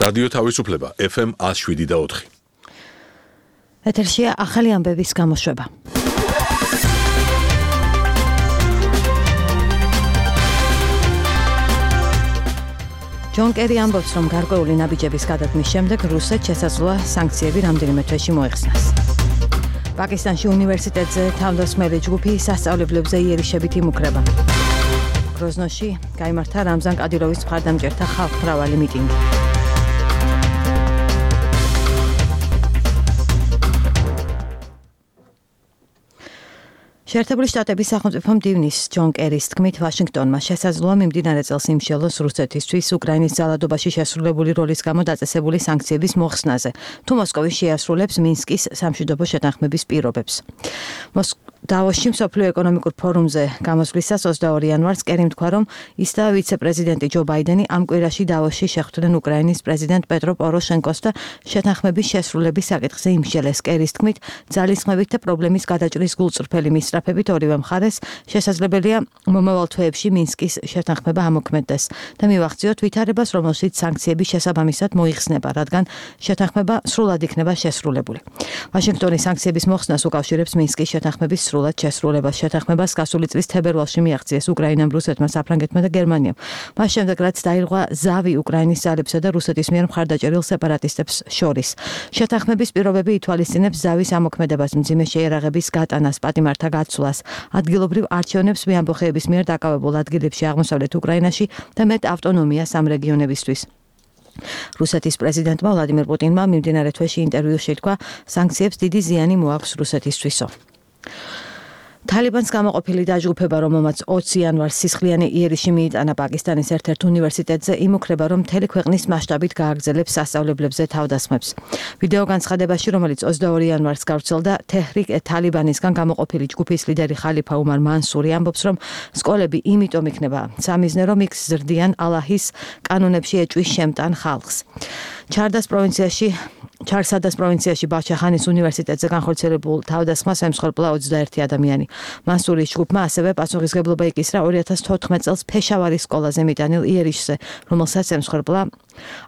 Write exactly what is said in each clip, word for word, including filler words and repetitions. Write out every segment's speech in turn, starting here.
რადიო თავისუფლება ეფ ემ one oh seven და four. ეთერშია ახალი ამბების გამოშვება. ჯონ კერი ამბობს, რომ გარკვეული ნაბიჯების გადადგმის შემდეგ რუსეთს შესაძლოა სანქციები რამდენიმე თვეში მოეხსნას. პაკისტანში უნივერსიტეტზე თავდასხმელი ჯგუფი სასწავლებლებზე იერიშებით იმუქრება. გროზნოში გაიმართა რამზან კადიროვის მხარდამჭერთა ხალხმრავალი მიტინგი. შეერთებული შტატების სახელმწიფო მდივნის ჯონ კერის თქმით, ვაშინგტონმა შესაძლოა მიმდინარე წელს იმსჯელოს რუსეთისთვის უკრაინის ძალადობაში შესრულებული როლის გამო დაწესებული სანქციების მოხსნაზე, თუ მოსკოვი შეასრულებს მინსკის სამშვიდობო შეთანხმების პირობებს. დავოსში მსოფლიო ეკონომიკურ ფორუმზე გამოსვლისას ოცდაორი იანვარს კერიმ თქვა, რომ ის და ვიცე-პრეზიდენტი ჯო ბაიდენი ამ კვირაში დავოსში შეხვდნენ უკრაინის პრეზიდენტ პეტრო პოროშენკოს და შეთანხმების შესრულების საკითხზე იმსჯელეს. კერის თქმით, ძალისხმევით და პრობლემის გადაჭრის გულწრფელი მისწრაფებით ორივე მხარეს შესაძლებელია მომავალ თვეებში მინსკის შეთანხმება ამოქმედდეს და მივახციოთ ვითარებას, რომელშიც სანქციების შესაბამისად მოიხსნება, რადგან შეთანხმება სრულად იქნება შესრულებული. ვაშინგტონის სანქციების მოხსნას უკავშირებს მინსკის შეთანხმების სრულად შესრულებას. შეთანხმებას გასული წლის თებერვალში მიაღწიეს უკრაინამ, რუსეთმა, საფრანგეთმა და გერმანიამ. მას შემდეგ, რაც დაირღვა ზავი უკრაინის ძალებსა და რუსეთის მიერ მხარდაჭერილ სეპარატისტებს შორის. შეთანხმების პირობები ითვალისწინებს ზავის ამოქმედებას, მძიმე შეიარაღების გატანას, პატიმართა გაცვლას, ადგილობრივ არჩევნებს მეამბოხეების მიერ დაკავებულ ადგილებში აღმოსავლეთ უკრაინაში და მეტ ავტონომიას ამ რეგიონებისთვის. რუსეთის პრეზიდენტმა ვლადიმირ პუტინმა მიმდინარე თვეში ინტერვიუში თქვა, სანქციებს დიდი ზიანი მოაქვს რუსეთისთვისო. თალიბანს გამოყოფილი დაჯგუფება, რომელმაც ოცი იანვარს სისხლიანი იერიში მიიტანა პაკისტანის ერთ-ერთ უნივერსიტეტზე, იმუქრება, რომ მთელი ქვეყნის მასშტაბით გააგრძელებს სასწავლებლებზე თავდასხმებს. ვიდეო განცხადებაში, რომელიც ოცდაორი იანვარს გავრცელდა, თეჰრიკ თალიბანისგან გამოყოფილი ჯგუფის ლიდერი ხალიფა უმარ მანსური ამბობს, რომ სკოლები იმიტომ იქნება სამიზნე, რომ იქ ზრდიან ალაჰის კანონებში ეჭვის შემტან ხალხს. ჩარდას პროვინციაში ჩარსადას პროვინციაში ბაჩახანის უნივერსიტეტზე განხორციელებულ თავდასხმას ემსხვერპლა ოცდაერთი ადამიანი. მანსურის ჯგუფმა ასევე პასუხისმგებლობა იკისრა ორი ათას თოთხმეტ წელს ფეშავარის სკოლაზე მიტანილ იერიშზე, რომელსაც ემსხვერპლა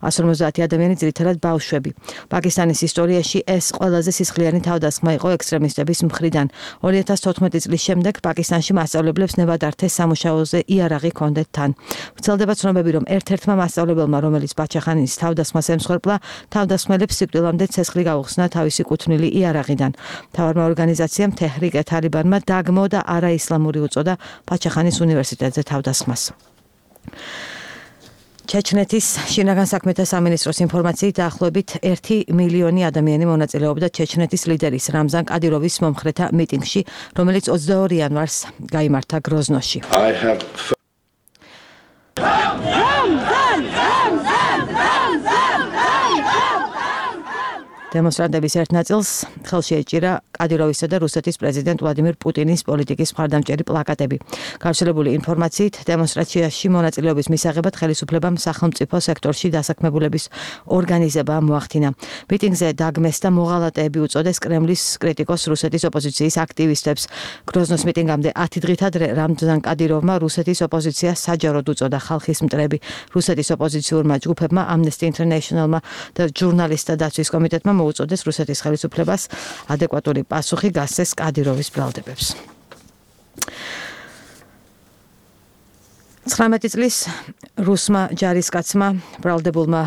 one hundred fifty ადამიანი, ძირითადად ბავშვები. პაკისტანის ისტორიაში ეს ყველაზე სისხლიანი თავდასხმა იყო ექსტრემისტების მხრიდან. ორი ათას თოთხმეტი წლის შემდეგ პაკისტანში მასწავლებლებს ნებადართეს სამუშაოზე იარაღი ჰქონდეთ თან. ვრცელდება ცნობები, რომ ერთ-ერთმა მასწავლებელმა, რომელიც ბაჩახანის თავდასხმას ემსხვერპლა, თავდასხმელებს სიკვდილამდე ცეცხლი გაუხსნა თავისი კუთვნილი იარაღიდან. მთავარმა ორგანიზაციამ თეჰრიკ თალიბანმა დაგმო და არაისლამური უწოდა ბაჩახანის უნივერსიტეტზე თავდასხმას. ჩეჩნეთის შინაგან საქმეთა სამინისტროს ინფორმაციით დაახლოებით ერთი მილიონი ადამიანი მონაწილეობდა ჩეჩნეთის ლიდერის რამზან კადიროვის მომხრეთა მიტინგში, რომელიც ოცდაორი იანვარს გაიმართა გროზნოში. დემონსტრანტების ერთ ნაწილს ხელში ეჭირა კადიროვისა და რუსეთის პრეზიდენტ ვლადიმირ პუტინის პოლიტიკის მხარდამჭერი პლაკატები. გავრცელებული ინფორმაციით, დემონსტრაციაში მონაწილეობის მისაღებად ხელისუფლებამ სახელმწიფო სექტორში დასაქმებულების ორგანიზება მოახდინა. მიტინგზე დაგმეს და მოღალატეები უწოდეს კრემლის კრიტიკოს რუსეთის ოპოზიციის აქტივისტებს. გროზნოს მიტინგამდე ათი დღით ადრე რამზან კადიროვმა რუსეთის ოპოზიციას საჯაროდ უწოდა ხალხის მტრები. რუსეთის ოპოზიციურმა ჯგუფებმა, Amnesty International-მა და ჟურნალისტთა დაცვის კომიტეტმა მოუწოდეს რუსეთის ხელისუფლებას ადეკვატური პასუხი გასცეს კადიროვის ბრალდებებს. ცხრამეტი წლის რუსმა ჯარისკაცმა ბრალდებულმა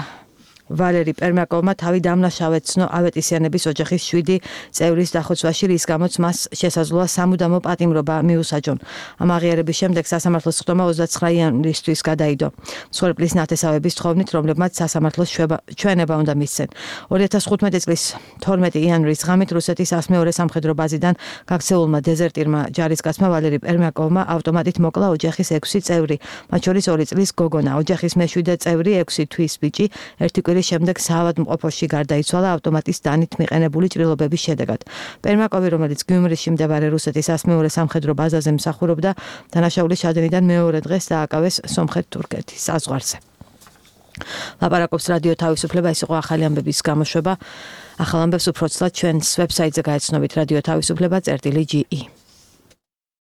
ვალერი პერმაკოვმა თავი დამნაშავედ ცნო ავეტისიანების ოჯახის შვიდი წევრის დახოცვაში, რის გამოც მას შესაძლოა სამუდამო პატიმრობა მიუსაჯონ. ამ აღიარების შემდეგ სასამართლოს სხდომა ოცდაცხრა იანვრისთვის გადაიდო. მსხვერპლის ნათესავების თხოვნით, რომლებმაც სასამართლოს ჩვენება უნდა მისცენ. ორი ათას ხუთმეტი წლის თორმეტი იანვრის ღამით რუსეთის ასმეორე სამხედრო ბაზიდან გაქცეულმა დეზერტირმა ჯარისკაცმა ვალერი პერმაკოვმა ავტომატით მოკლა ოჯახის ექვსი წევრი, მათ შორის ორი წლის გოგონა. ოჯახის მეშვიდე წევრი ექვსი თვის ბიჭი ერთი კვირის შემდეგ საავადმყოფოში გარდაიცვალა ავტომატის დანით მიყენებული ჭრილობების შედეგად. პერმაკოვი, რომელიც გიუმრიში მდებარე რუსეთის ასმეორე სამხედრო ბაზაზე მსახურობდა, დანაშაულის ჩადენიდან მეორე დღეს დააკავეს სომხეთ-თურქეთის საზღვარზე. ლაპარაკობს რადიო თავისუფლება, ეს იყო ახალი ამბების გამოშვება. ახალ ამბებს უფრო ცლად ჩვენს ვებსაიტზე გაეცნობით რადიო თავისუფლება წერტილი ჯი ი.